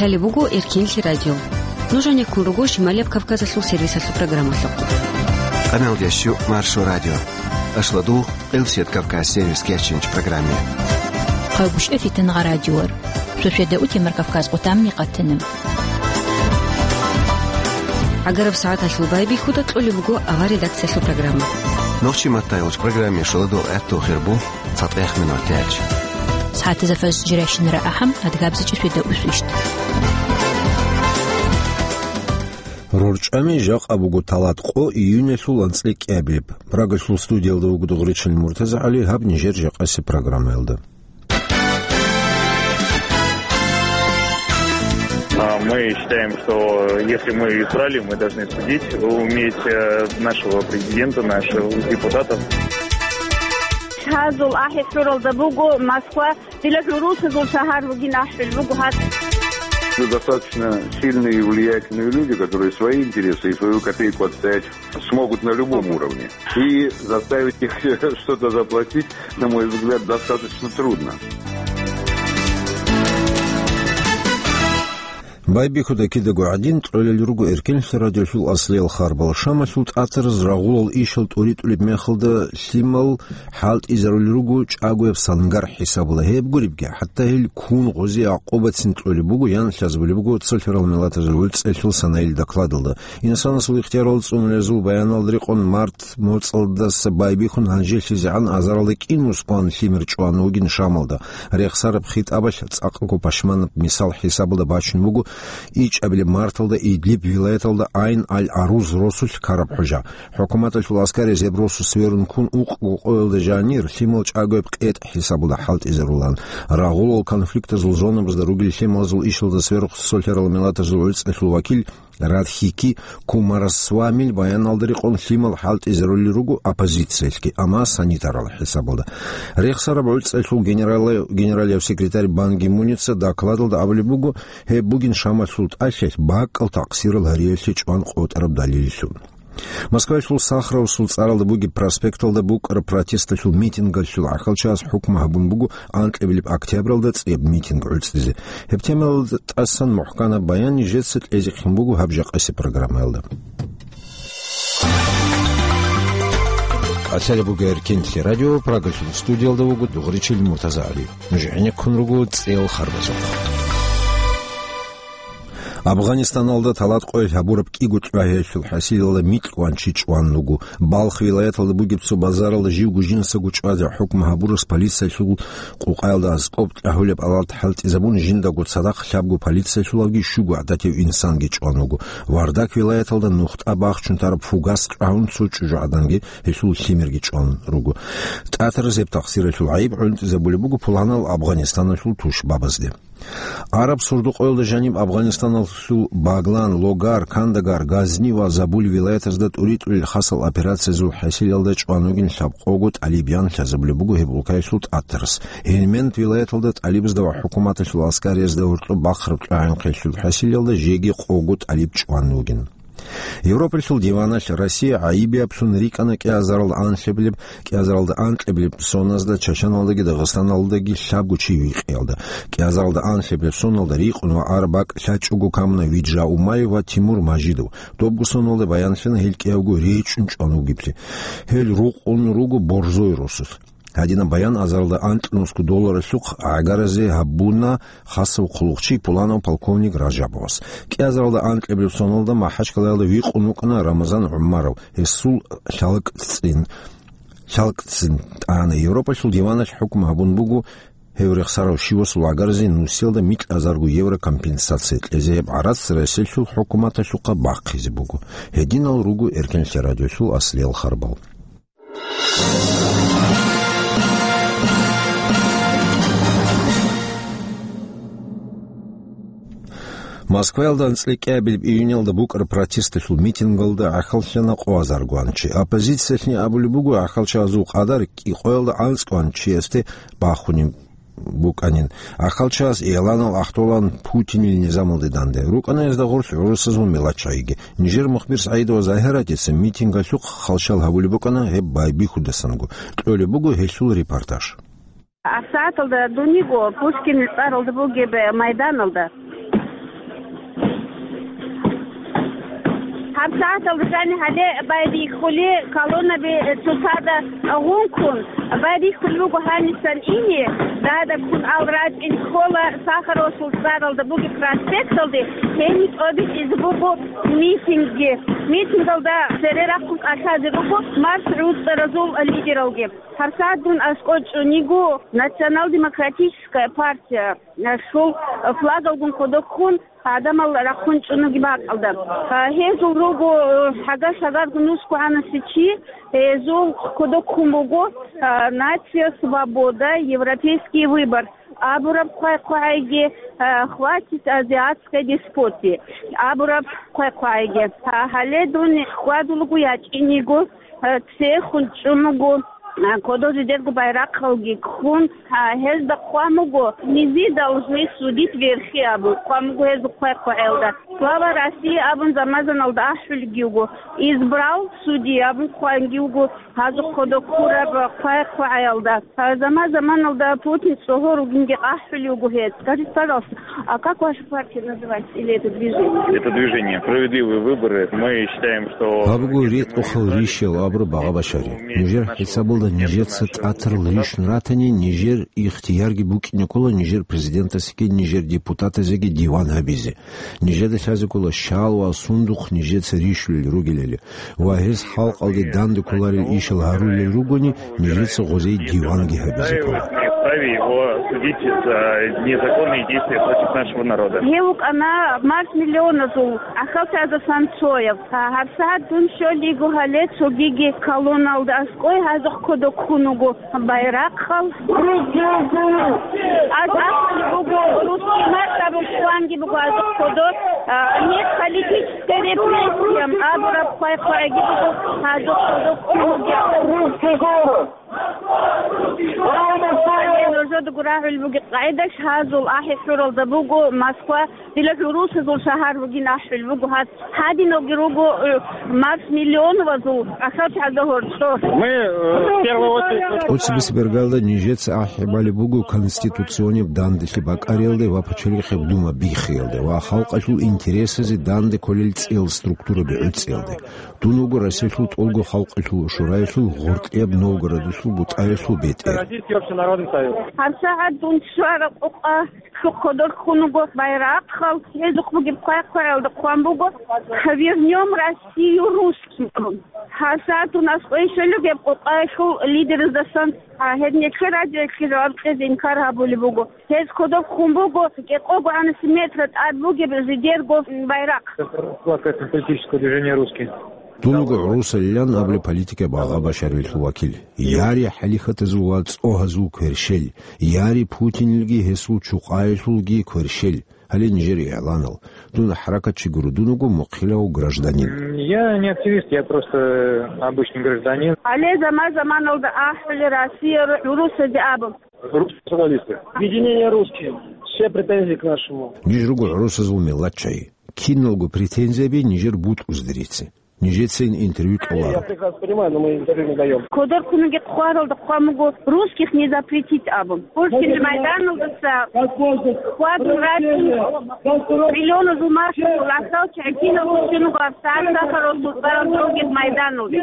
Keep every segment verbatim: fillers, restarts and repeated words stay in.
Лъалеб буго Эркенлъи радио. Нуж гьанеккун руго Шималияб Кавказалъул сервисалъул программалъухъ. Къаналдящу Маршо радио. Ашладу Элсет Кавказ сервис кечинч программе. Къавбуш эфитан гъа радиор. Суседа утемар Кавказ къутамни къатана. ГӀагараб сагӀаталъул байбихьуда кьолеб буго авар редакциялъул программа. Нохчи маттайолч программе шаладул гӀатту хирбу цатӀех минут тяч. СагӀатазда фаз жиращинара ахӀам адгабзичӀи светда усвищт. РорчӀами жакъа буго талат къо июнелъул анцӀлъи кӀиабилеб. Прагалъул студиялда вуго Дугъричил МуртазагӀали, гьаб нижер жакъаси программаялда. А мы считаем, что если мы избрали, мы должны судить, уметь, э, нашего президента, наших депутатов. Гьазул ахӀи хӀуралда буго Москва, дила хӀурусазул шагьар вугин ахӀул буго гьад. Ну, достаточно сильные и влиятельные люди, которые свои интересы и свою копейку отстоять смогут на любом уровне. И заставить их что-то заплатить, на мой взгляд, достаточно трудно. Байбихьуда кидаго гӀадин, кьолел руго Эркенлъи радиолъул аслиял харбал. Шамалъул тӀатараз рагъулал ишал тӀуритӀулеб мехалда лъимал хӀалтӀизарулел руго чӀагояб сангар хӀисабула. Гьеб гуребги, хӀатта гьел ккун гъози гӀакъубацин кьолеб буго, ян лъазабулеб буго цолъарал миллатазул гӀуцӀелъул санаил докладалда. Инсанасул ихтиярал цӀунулезул баяналда рекъон март моцӀалдаса байбихьун гьанжелъизегӀан азаралда кӀин мускулан лъимер чӀван вугин Шамалда. Рехсараб хитӀабалъ цӀакъго пашманаб мисал хӀисабалда бачун буго ичӀабилеб марталда Идлиб вилаяталда Айн-аль-Аруз росулъ ккараб хӀужа. ХӀукуматалъул аскарияз гьеб росу сверун ккун укъго къоялда жанир лъимал чӀагояб къетӀ хӀисабалда хӀалтӀизарулан. Рагъулал конфликтазул зонабазда ругел лъималазул ишалда сверухъ цолъарал миллатазул гӀуцӀелъул вакил Радхики Кумарасвамил баяналда рекъон лъимал хӀалтӀизарулел руго оппозициялъги, амма санитарал хӀисабалда. Рехсараб гӀуцӀалъул генерал-, генералияв секретарь Бан Ги Муница докладалда абулеб буго, гьеб бугин Шамалъул тӀалъалъ бакӀал такъсирал гьариялъе чӀван къотӀараб далиллъун. Москваялъул Сахаровасул цӀаралда бугеб проспекталда букӀараб протесталъул митингалъул гӀахьалчагӀаз хӀукму гьабун буго анкьабилеб октябралда цӀияб митинг гӀуцӀизе. Гьеб темаялда тӀасан мухӀканаб баян нижеца кьезихъин буго гьаб жакъаси программаялда. Лъалеб буго Эркенлъи радио, Прагалъул студиялда вуго Дугъричил МуртазагӀали. Нуж гӀенеккун руго цӀел харбазухъ. Афганистаналда талат къоялъ гьабураб кӀиго тӀагӀиялъул хӀасилалда микьван чи чӀван руго. Балх вилаяталда бугеб цо базаралда живго жинсаго чӀвазе хӀукму гьабурас полициялъул къукъаялда аскӀоб тӀагьулеб алат хӀалтӀизабун, жиндаго цадахъ лъабго полициялъулавги щуго гӀадатив инсанги чӀван вуго. Вардак вилаяталда нухтӀа бахчун тараб фугас чӀвагьун цо чӀужугӀаданги гьелъул лъимерги чӀван руго. ТӀатараз гьеб тахсиралъул гӀайиб гӀунтӀизабулеб буго пуланал Афганистаналъул тушбабазде. Араб сордо-къоялда жаниб Афганистаналъул Баглан, Логар, Кандагар, Газни ва Забул вилаятазда тӀуритӀулел хасал операциязул хӀасилалда чӀван вугин лъабкъого тӀалиб ян лъазабулеб буго гьеб улкаялъул тӀатарас. Гьелмент вилаяталда тӀалибазда ва хӀукуматалъул аскариязда гьоркьоб бахъараб тӀагӀинхъелъул хӀасилалда жеги къого тӀалиб чӀван вугин. Европалъул диваналъ Россия гӀайибиаблъун рикӀкӀана кӀиазаралда анлъабилеб, кӀиазаралда анкьабилеб соназда Чачаналдаги Дагъистаналдаги лъабго чи вихъиялда. КӀиазаралда анлъабилеб соналда рикъун ва араб бакӀ лъачӀого камуна Виджа Умаев ва Тимур Мажидов. Добго соналда баянлъана гьел кӀиявго речӀчӀун чӀван вугеблъи. Гьел рукъун руго борзой росулъ. Гьадинаб баян азаралда анкьнусго долларалъухъ гӀагаразе гьабуна хасав хъулухъчи пуланав полковник Ражабовас. КӀиазаралда анкьабилеб соналда МахӀачкъалаялда вихъун вукӀана Рамазан ГӀумаров, гьесул лъалкӀцӀин, лъалкӀцӀин тӀана. Европалъул диваналъ хӀукму гьабун буго гьев рехсарав щивасул гӀагаразе нусиялда микьазарго евро компенсация кьезе. Гьеб гӀарац Россиялъул хӀукуматалъухъа бахъизе буго. Гьединал руго Эркенлъи радиолъул аслиял харбал. Москваялда анцӀила кӀиабилеб июнялда букӀараб протесталъул митингалда гӀахьаллъана къоазаргоан чи. Оппозициялъни абулеб буго, гӀахьалчагӀазул къадар кӀикъоялда анцӀгоан чиясде бахунеб букӀанин. ГӀахьалчагӀаз игъланал ахтолан Путинил низамалде данде. РукӀана гьезда гъорлъ гӀурусазул миллатчагӀиги. Нижер мухбир СагӀидова Загьиратица митингалъухъ халщал гьабулеб букӀана гьеб байбихьудасанго. Кьолеб буго гьелъул репортаж. ГьабсагӀаталда дуниго Пушкин цӀаралда бугеб майданалда ГьабсагӀаталда жаниб гьале байбихьули колоннаби цоцазда гъункун, байбихьулеб буго гьанисан ине, дада ккун ал рачӀин ккола Сахаровасул цӀаралда бугеб проспекталде, гьениб тӀобитӀизе буго митингги. Митингалда цере рахъун кӀалъазе руго марш гӀуцӀаразул лидералги. ГьабсагӀат дун аскӀов чӀун йиго Национал-демократическая партия, э, шул, э, флагалгун кодоб ккун, гӀадамал рахъун чӀун ругеб бакӀалда. Э, гьезул руго, э, гьагар-шагарго нусго гӀанаси чи, гьезул кодоб ккун буго, э, «Нация, свобода, европейский выбор» абураб хъвай-хъвайги, э, «Хватит азиатской деспотии» абураб хъвай-хъвайги. Э, гьале дун хьвадулего ячӀин йиго, э, церехун чӀун вуго, э, кодо жидерго байрахъалги ккун, э, гьезда хъван буго: «Мы должны судить верхи», — абун хъван буго гьезул хъвай-хъвагӀелда. «Слава России» абун заман-заманалда ахӀулебги буго, «Избрал судьи» абун хъванги буго гьазухъ кодо ккураб хъвай-хъвагӀелда. Гьаза заман-заманалда Путин цӀогьор ругинги ахӀулев вуго гьез. Скажите, пожалуйста, а как ваша партия называется или это движение? Это движение «Справедливые выборы». Мы считаем, что... Гьаб буго ритӀухъал рищал абураб, Багъа Башари. Нижер хӀисабалда нижеца тӀатарал рищун ратани, нижер ихтиярги букӀине ккола нижер президентасеги нижер депутатазеги диван гьабизе. Нижеда лъазе ккола щал ва сундухъ нижеца рищулел ругелали. Ва гьес халкъалде данде кколарел ишал гьарулел ругони, нижеца гъозей диванги гьабизе ккола. Вправе его судить за незаконные действия против нашего народа. Гьев вукӀана марш миллионазул гӀахьалчагӀазда Санцоев. ГьабсагӀат дун щолиго гьале цогиги колонналда аскӀой гьазухъ кодо ккун вуго байрахъал. Аз ахӀулеб буго, русский марш абун хъванги буго гьазухъ кодо, а, нет политической репрессиям абураб хъвай-хъвайги буго гьазухъ кодо ккун вугев. Гьале нужедаго рагӀулеб бугеб къагӀидалъ, гьазул ахӀи-хӀуралда буго Москва, дила гӀурусазул шагьар бугин ахӀулеб буго гьаб. Гьадиналги руго, э, марш миллионовазул гӀахьалчагӀазда гьоркьор. Мы, э, в первую очередь... ТӀоцебесеб иргалда нижеца ахӀи балеб буго конституционияб данделъи бакӀариялде ва пачалихъаб дума биххиялде ва халкъалъул интересазе данде кколел цӀиял структураби гӀуцӀиялде. Дун вуго Россиялъул тӀолго халкъалъул шураялъул гъоркьияб Новгородалъул бутӀаялъул бетӀер. Российский общенародный совет. ГьабсагӀат дун щвараб къукъа лъухъ кодор ккун вуго байрахъал, гьезухъ бугеб хъвай-хъвагӀелда хъван буго: «Вернём Россию русским». ГьабсагӀат дун аскӀой щолеб гьеб къукъаялъул лидераздасан, а, гьеб нилъер радиоялъе жаваб кьезе инкар гьабулеб буго. Гьез кодоб ккун буго кӀикъого гӀанаси метра тӀад бугеб жидерго байрахъ. Плакатный политическое движение «Русский». Дун вуго гӀурусалилан абулеб политикаб Багъа Башариялъул вакил. Яри хӀалихьатазул ва цӀогьазул кверщел, яри Путинилги гьесул чукъаялъулги кверщел. Гьале нижер игӀланал. Дун хӀаракатчи гуро, дун вуго мухъилав гражданин. М, я не активист, я просто обычный гражданин. Гьале заман-заманалда ахӀулеб Россия ру-, гӀурусазе абун. Русские националисты. Объединение «Русские». Все претензии к нашему. Ниж руго гӀурусазул миллатчагӀи. Киналго претензияби нижер бутӀузде рице. Нижецин интервью кьоларо. Я прекрасно понимаю, но мы интервью не даём. Кодор ккунги хъваралда хъван буго «русских не запретить» абун. Пушкин майданалдаса хьвадун рачӀун, миллионазул маршалъул гӀахьалчагӀи киналго щун буго гьабсагӀат Сахаровасул цӀаралда бугеб майданалде.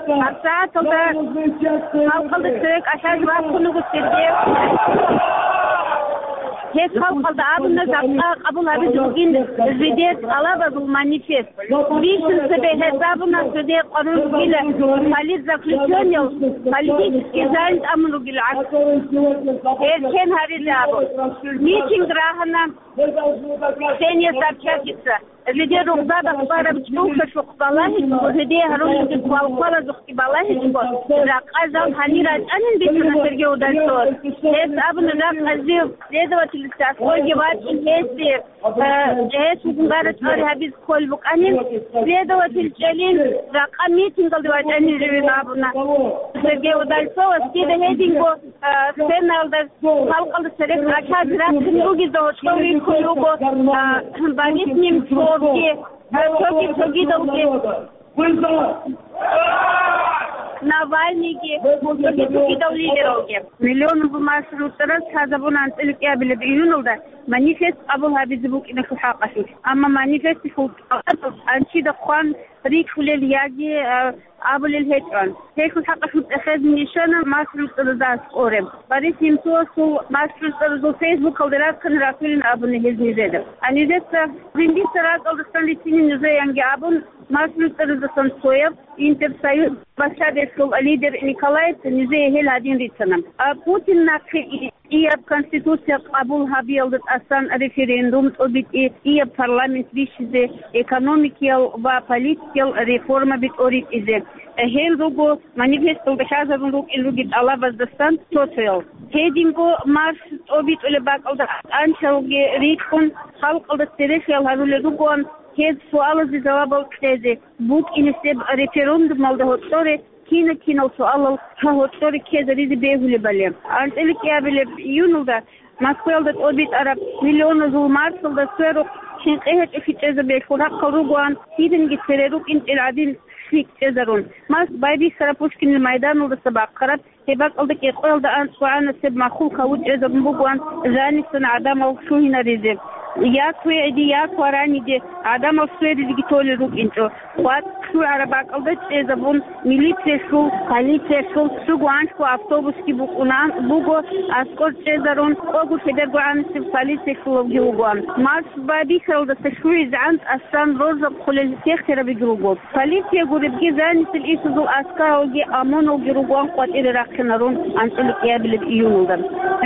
ГьабсагӀаталда халкъалда цере кӀалъазе вахъун вуго Сергей. Гьес халкъалда абуна жакъа къабул гьабизе бугин жидер тӀалабазул манифест. Бищун цебе гьез абуна, цоде къварун ругила политзаключённыйал, политический займ тӀамун ругила гӀакс. Гьез кин гьаризе абун. Митинг рагьана Ксения Собчакица. Жидер рузада хъвараб чӀухӀалъухъ балагьичӀого, жидее гьарулелги квалквалазухъги балагьичӀого, жакъа жал гьанир рачӀанин бицана Сергей Удальцовас. Гьес абуна, жакъа жив следовательлъи аскӀойги вачӀин гьесие. Э, гьес гьугьунгарачӀари гьабиз кколеб букӀанин, следователь чӀелин, жакъа митингалде вачӀанин живин абуна. Сергей Удальцовас дида гьединго, э, сценаялда халкъалда церекъ кӀалъазе рахъин ругезда гьоркьов рихьулел руго, э, Борис Немцовги, э, цоги-цогидалги. Навальныйги, цоги-цогидал лидералги. Миллионаб марш гӀуцӀараз лъазабуна анцӀила кӀиабилеб июналда. манифест къабул гьабизе букӀиналъул хӀакъалъулъ. Амма манифесталъул тӀалаб анчида хъван рикьулел яги, а, абулел гьечӀо. Гьелъул хӀакъалъулъ цӀехезе нижана МасгӀуд ЦӀадазда аскӀоре. Борис Немцовасул МасгӀуд ЦӀадазул фейсбукалда рахъине рахулин абуна гьез нижеда. А нижеца жиндица ракӀалдасан рицинин нужеянги абун, МасгӀуд ЦӀадазасан цояб Интерсоюз бащадешлъул лидер Николаевца нижее гьел гьадин рицана. А Путин нахъе и-, ияб конституция къабул гьабиялда тӀасан референдум тӀобитӀи, ияб парламент бищизе, экономикиял ва политикиял реформаби тӀоритӀизе. Гьел руго манифесталда лъазабун рукӀин ругел тӀалабаздасан цо-цоял. Гьединго марш тӀобитӀулеб бакӀалда анцӀалги рикӀкӀун, халкъалда церехиял гьарулел ругоан гьез суалазе жавабал кьезе, букӀинесеб референдумалда гьоркьоре кина-кинал суалал гьоркьоре ккезаризе бегьулебали. АнцӀила кӀиабилеб июналда Москваялда тӀобитӀараб миллионазул маршалда сверухъ хӀинкъи гьечӀолъи чӀезабиялъул рахъал ругоан, киданги цере рукӀинчӀел гӀадин лъикӀ чӀезарун. Марш байбихьараб Пушкинил майданалдаса бахъараб. Гьеб бакӀалда кӀикъоялда анцӀгогӀанасеб махул хаву чӀезабун бугоан жанисан гӀадамал лъугьинаризе. Як вегӀиде, як вараниде гӀадамал сверизеги толел рукӀинчӀо. КъватӀ лъугӀараб бакӀалда чӀезабун, милициялъул, полициялъул щуго-анлъго автобусги букӀунаан буго, аскӀор чӀезарун, къого хӀедергогӀанасеб полициялъулавги вугоан. Марш байбихьаралдаса лъугӀизегӀан тӀасан роржаб хъулел сехтерабиги руго. Полиция гуребги, жанисел исузул аскаралги ОМОНалги ругоан къватӀире рахъинарун анцӀила кӀиабилеб июналда.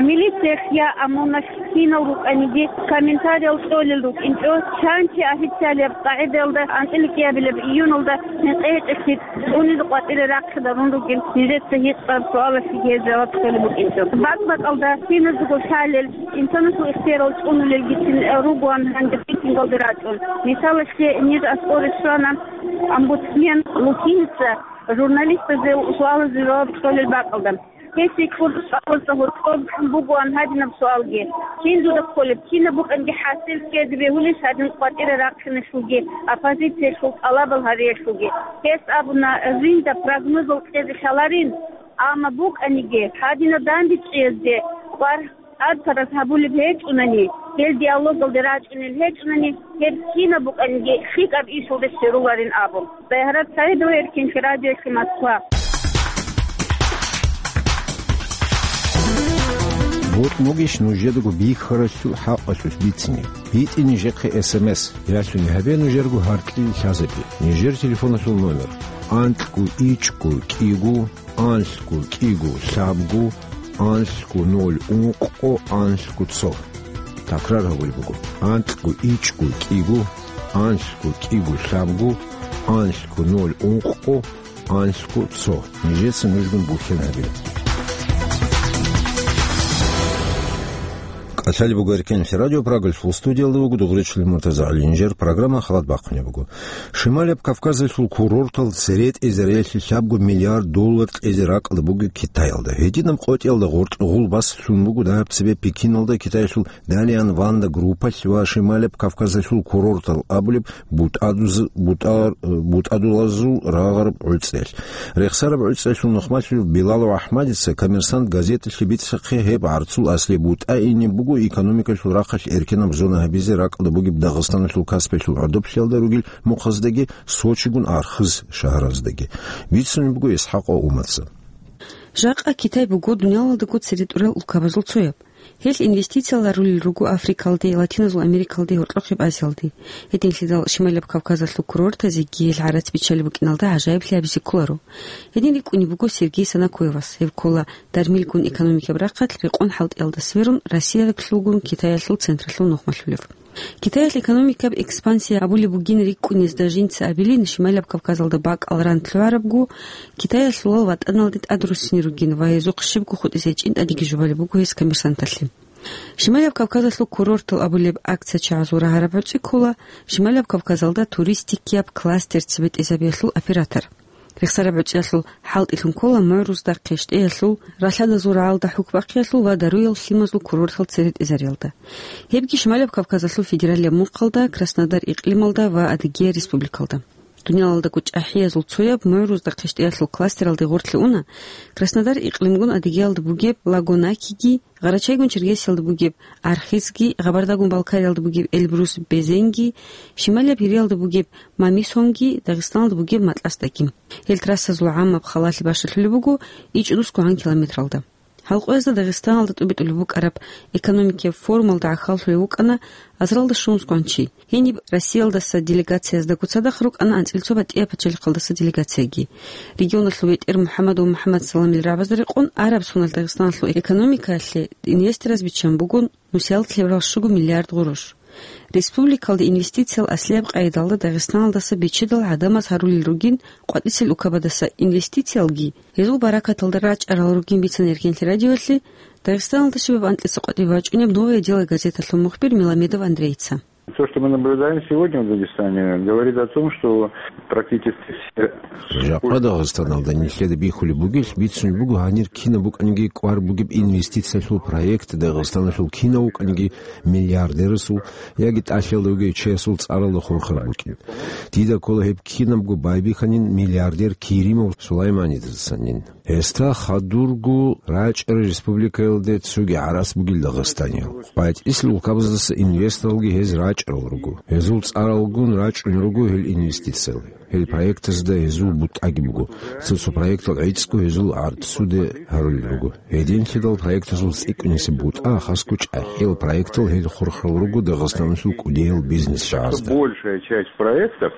Милициялъ я ОМОНалъ кинал рукӀаниги комментариял кьолел рукӀинчӀо, чанчи официалияб къагӀидаялда анцӀила кӀиабилеб июналда хӀинкъи гьечӀолъи цӀунизе къватӀире рахъинарун ругел нижеца гьикъараб суалалъеги гьез жаваб кьолеб букӀинчӀо. БакӀ-бакӀалда киназего лъалел, инсанасул ихтиярал цӀунулелгицин ругоан гьанже рейтингалде рачӀун. Мисалалъе, ниж аскӀоре щвана омбудсмен Лукиница журналистазе суалазе жаваб кьолел бакӀалда. Гьесие кьураб суалазда гьоркьоб бугоан гьадинаб суалги: кин дуда кколеб, кинаб букӀанги хӀасил ккезе бегьулищ гьадин къватӀире рахъиналъулги, оппозициялъул тӀалабал гьариялъулги? Гьес абуна, жинда прогнозал кьезе лъаларин, амма букӀаниги, гьадинаб дандечӀезде кӀвар тӀадпараз гьабулеб гьечӀунани, гьел диалогалде рачӀунел гьечӀунани, гьеб кинаб букӀаниги лъикӀаб ишалде щеруларин абун. Байгьарат Саидова, Эркин, Радио Эхи, Москва. БутӀ бугищ нужедаго бихьаралъул хӀакъалъулъ бицине? БитӀе нижехъе эс эм эс, ялъуни гьабе нужерго гьаркьил лъазабе. Нижер телефоналъул номер: анкьго ичӀго кӀиго, анлъго кӀиго лъабго, анлъго ноль ункъго, анлъго цо. Такрар гьабулеб буго: анкьго ичӀго кӀиго, анлъго кӀиго лъабго, анлъго ноль ункъго, анлъго цо. Нижеца нужгун бухьен гьабила. КӀалъалеб буго Эркенлъи радио Прагалъул студиялда вуго дугъричӀлъи Муртаза ГӀалинжер, программа халат бахъунеб буго. Шималияб Кавказалъул курортал цере тӀезариялъе лъабго миллиард доллар кьезе ракӀалда буго Китаялда. Гьединаб къотӀиялда гъоркь гъулбас лъун буго дагьаб цебе Пекиналда Китаялъул Далиан Ванда группалъ ва Шималияб Кавказалъул курортал абулеб бутӀадуз-, бутӀар-, бутӀадулазул рагъараб гӀуцӀиялъ. Рехсараб гӀуцӀиялъул нухмалъулев Билалов АхӀмадица «Коммерсант» газеталъе бицахъе гьеб гӀарцул аслияб бутӀа инеб буго экономикалъул рахъалъ эркенаб зона гьабизе ракӀалда бугеб Дагъистаналъул Каспиялъул гӀодоблъиялда ругел мухъаздеги Сочигун архыз шагьараздаги. Бицунеб буго ИсхӀакъ Умаца. Жакъа Китай буго дуниялалдаго цере тӀурал улкабазул цояб. Гьел инвестициял рарулел руго Африкалде, Латиназул Америкалде, гьоркьохъеб Азиялде. Гьединлъидал Шималияб Кавказалъул курортазеги гьел гӀарац биччалеб букӀиналда гӀажаиблъи гьабизе кколаро. Гьедин рикӀкӀунеб буго Сергей Санакоевас. Гьев ккола дармилгун экономикаб рахъалъ рекъон хӀалтӀиялда сверун, Россиялъулгун Китаялъул централъул нухмалъулев. Китаялъ экономикаб экспансия абулеб бугин рикӀкӀунезда жинца абилин, Шималияб Кавказалда бакӀал ран лъугӀарабго, Китаялъулал ватӀаналде тӀадруссине ругин ва гьезухъ щибго хутӀизе чӀинтӀадиги жубалеб буго гьес «Коммерсанталъе». Шималияб Кавказалъул курортал абулеб акция чагӀазул рагьараб гӀуцӀи ккола Шималияб Кавказалда туристикияб кластер цебетӀезабиялъул оператор. Рехсараб гӀуцӀиялъул хӀалтӀилъун ккола мугӀрузда, КъещтӀеялъул, ралъадазул рагӀалда хӀукбахъиялъул ва даруял лъимазул курортал церетӀезариялда. Гьебги Шималияб Кавказалъул федералияб мухъалда, Краснодар икълималда ва Адыгея республикалда. Дуниялалдаго чӀахӀиязул цояб мугӀрузда хъищтӀиялъул кластералде гъорлъе уна Краснодар икълимгун Адыгеялда бугеб Лагонакиги, Гъарачайгун Черкесиялда бугеб Архизги, Къабардагун Балкариялда бугеб Эльбрус Безенги, Шималияб Гьириялда бугеб Мамисонги, Дагъистаналда бугеб Матласдаги. Гьел трассазул гӀаммаб халалъи бащалъулеб буго ичӀнусго гьан километралда. Гьал къоязда Дагъистаналда тӀубитӀулеб букӀараб экономикияб форумалда гӀахьаллъулев вукӀана азаралда щугьунсгоан чи. Гьениб Россиялдаса делегацияздаго цадахъ рукӀана анцӀил цо батӀияб пачалихъалдаса делегацияги. Регионалъул ветӀер МухӀаммад ва МухӀаммад Саламил рагӀабазда рекъон араб соналъ Дагъистаналъул экономикаялъе инвестораз биччан буго нусиялда лъеберал щуго миллиард гъурущ. Республикалде инвестициял аслияб къайдалда Дагъистаналдаса биччидал гӀадамаз гьарулел ругин къватӀисел укабадаса инвестициялги, гьезул баракаталда рачӀарал ругин, бицана Эркенлъи радиоялъе Дагъистаналда щибаб анкьиса къватӀибе бачӀунеб «Новое дело» газеталъул мухбир Меламедов Андрейица. То, что мы наблюдаем сегодня в Дагестане, говорит о том, что практически все... Жакъа Дагъистаналда нилъеда бихьулеб бугелъ бицун буго гьанир кинаб букӀаниги кӀвар бугеб инвестициялъул проект, Дагъистаналъул кинав вукӀаниги миллиардерасул яги тӀалъиялда вугев чиясул цӀаралда хурхар букӀин. Дида ккола гьеб кинабго байбихьанин миллиардер Керимов Сулайманидасанин. Гьесда хадурго рачӀарал республикаялде цоги гӀарац бугел Дагъистаниял. БатӀисел улкабаздаса инвесторалги гьез рачӀарал руго. Гьезул цӀаралгун рачӀун руго гьел инвестициял. Гьел проектазда гьезул бутӀаги буго. Цо-цо проектал гӀицӀго гьезул гӀарцуде гьарулел руго. Гьединлъидал проектазул цӀикӀкӀунесеб бутӀа, хасго чӀахӀиял проектал гьел хурхарал руго Дагъистаналъул кӀудиял бизнес чагӀазда. Большая часть проектов,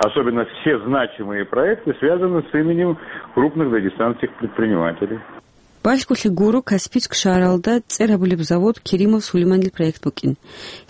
особенно все значимые проекты, связаны с именем крупных дагестанских предпринимателей. Балъголъи гуро Каспийск шагьаралда цӀер гьабулеб завод Керимов Сулейманил проект букӀин.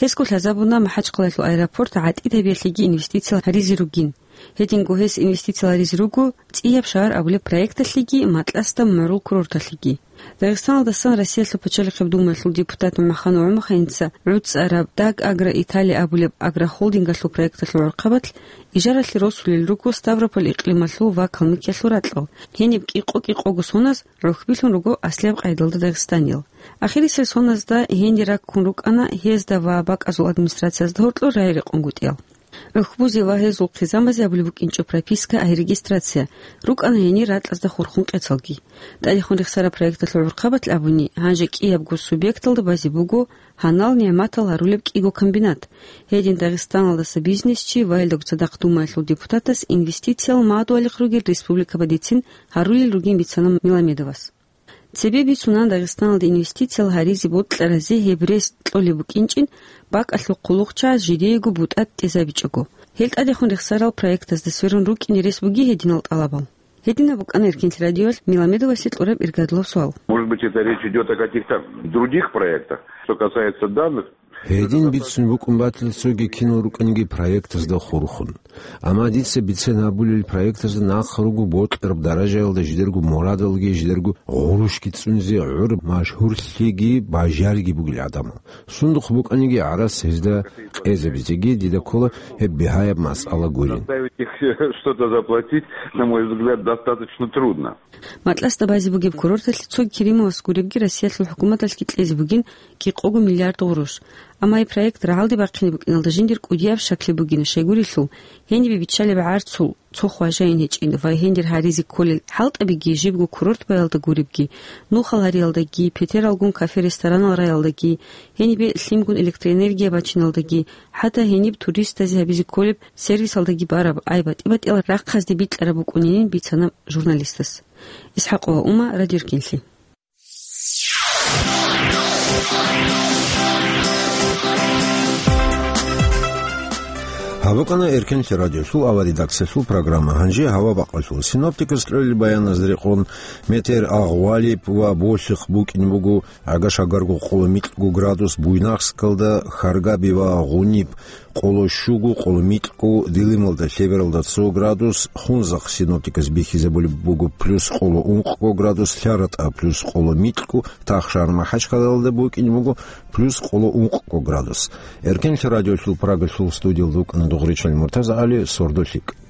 Гьесго лъазабуна МахӀачхъалаялъул аэропорт гӀатӀид гьабиялъеги инвестициял гьаризе ругин. Гьединго гьес инвестициял гьаризе руго ЦӀияб шагьар абулеб проекталъеги, Матласда мугӀрул курорталъеги. Дагъистаналдасан Россиялъул Пачалихъеб Думаялъул депутат МухӀаммад ГӀумаханица гӀуцӀараб Даг Агро Италия абулеб агрохолдингалъул проекталъул гӀурхъабалъ ижаралъе росулел руго Ставрополь икълималъул ва Калмыкиялъул ракьал. Гьениб кӀикъо-кӀикъого соназ гӀухьбилъун руго аслияб къайдалда дагъистаниял. Ахирисел соназда гьенир раккун рукӀана гьезда ва бакӀазул администрациязда гьоркьор рагӀи рекъонгутӀиял. ГӀухьбузе ва гьезул хъизамазе абулеб букӀинчӀо прописка, ай регистрация, рукӀана гьенир ракьазда хурхун къецалги. ТӀадехун рехсараб проекталъул гӀурхъабалъ абуни, гьанже кӀиябго субъекталда базе буго гьанал нигӀматал гьарулеб кӀиго комбинат. Гьедин Дагъистаналдаса бизнесчи ва гьелдагу цадахъ Думаялъул депутатас инвестициял мадугьалихъ ругел республикабадицин гьарулел ругин бицана Меламедовас. Цебе бицунан Дагъистаналда инвестициял гьаризе бокьаразе гьеб рес кьолеб букӀинчӀин, бакӀалъул хъулухъчагӀаз жидеего бутӀа тӀезабичӀого. Гьел тӀадехун рехсарал проектазда сверун рукӀине рес буги гьединал тӀалабал? Гьединаб букӀана Эркенлъи радиоялъ Меламедовасе кьураб иргадлъул суал. Может быть, это речь идёт о каких-то других проектах. Что касается данных, Гьедин бицун букӀун батила цоги кинал рукӀаниги проектазда хурхун. Амма дица бицен гьабулел проектазда нахъ руго бокьараб даражаялда жидерго мурадалги, жидерго гъурущги цӀунизе гӀур машгьурлъиги бажариги бугел гӀадамал. Сундухъ букӀаниги гӀарац гьезда къезабизеги дида ккола гьеб бигьаяб масъала гурин. Заставить их что-то заплатить, на мой взгляд, достаточно трудно. Матласда базе бугеб курорталъе цоги Керимовас гуребги Россиялъул хӀукуматалъги кьезе бугин кӀикъого миллиард гъурущ. Амма гьеб проект рагӀалде бахъине букӀиналда жиндир кӀудияб щаклъи бугин, щайгурелъул, гьенибе биччалеб гӀарцул цо хважайин гьечӀин ва гьендир гьаризе кколел хӀалтӀабиги жибго курорт баялда гуребги, нухал гьариялдаги, петералгун кафе-ресторанал раялдаги, гьенибе лъимгун электроэнергия бачиналдаги, хӀатта гьениб туристазе гьабизе кколеб сервисалдаги бараб ай батӀи-батӀиял рахъазде бикьараб букӀунин бицана журналистас. ИсхӀакъова Ума, Радио Эркенлъи. Гьаб букӀана Эркенлъи радиолъул аваридаксалъул программа. Гьанже гьава бакъалъул. Синоптикас кьолел баяназда рекъон, метер агъвалиб ва болъихъ букӀин буго, гӀага-шагарго къоло микьго градус, Буйнакскалда, Харгаби ва Гъуниб къоло щуго, къоло микьго, Дилималда, Лъебералда цо градус, Хунзахъ синоптикас бихьизабулеб буго плюс къоло ункъго градус, ЛъаратӀа плюс къоло микьго, Тахшар-МахӀачхъалалда букӀин буго плюс къоло ункъго градус. Эркенлъи радиолъул Прагалъул студиялда вукӀана Дугъричал МуртазагӀали, сордо лъикӀ.